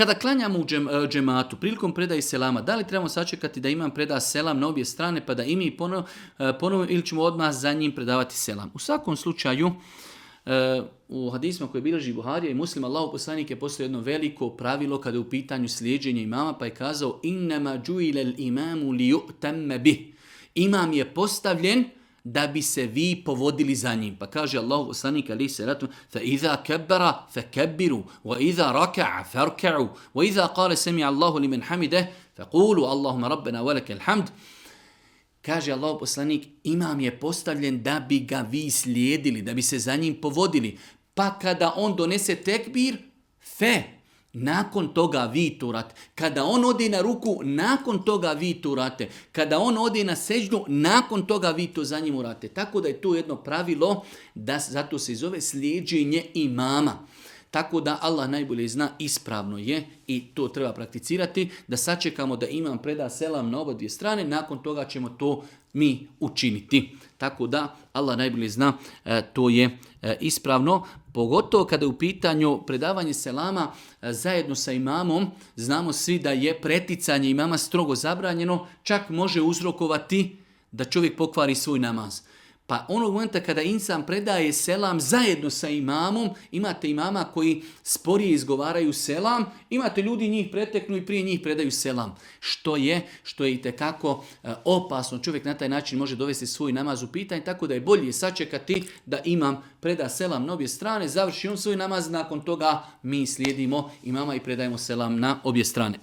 Kada klanjamo u džematu, prilikom predaje selama, da li trebamo sačekati da imam preda selam na obje strane pa da i mi ponovno ili ćemo odmah za njim predavati selam? U svakom slučaju, u hadisma koje bilježi Buharija i Muslim, Allahov poslanik je postoji jedno veliko pravilo kada je u pitanju slijeđenja imama, pa je kazao innama džuilel imamu li ju'tamme bih. Imam je postavljen da bi se vi povodili za njim. Pa kaže Allahov poslanik alejhi salatu fa iza kabbara fakabbiru wa iza raka'a farka'u wa iza qala sami Allahu liman hamide faqulu Allahumma rabbana wa lakal hamd. Kaže Allahov poslanik, imam je postavljen da bi ga vi slijedili, da bi se za njim povodili. Pa kada on donese tekbir, nakon toga vi to urate. Kada on ode na ruku, nakon toga vi to urate. Kada on ode na seždu, nakon toga vi to za njim urate. Tako da je to jedno pravilo, da zato se zove slijeđenje imama. Tako da Allah najbolje zna, ispravno je i to treba prakticirati, da sačekamo da imam preda selam na oba dvije strane, nakon toga ćemo to mi učiniti. Tako da Allah najbolje zna, to je ispravno, pogotovo kada je u pitanju predavanje selama zajedno sa imamom, znamo svi da je preticanje imama strogo zabranjeno, čak može uzrokovati da čovjek pokvari svoj namaz. Pa onog momenta kada insan predaje selam zajedno sa imamom, imate imama koji sporije izgovaraju selam, imate ljudi njih preteknu i prije njih predaju selam. Što je itekako opasno. Čovjek na taj način može dovesti svoj namaz u pitanje, tako da je bolje sačekati da imam preda selam na obje strane, završi on svoj namaz, nakon toga mi slijedimo imama i predajemo selam na obje strane.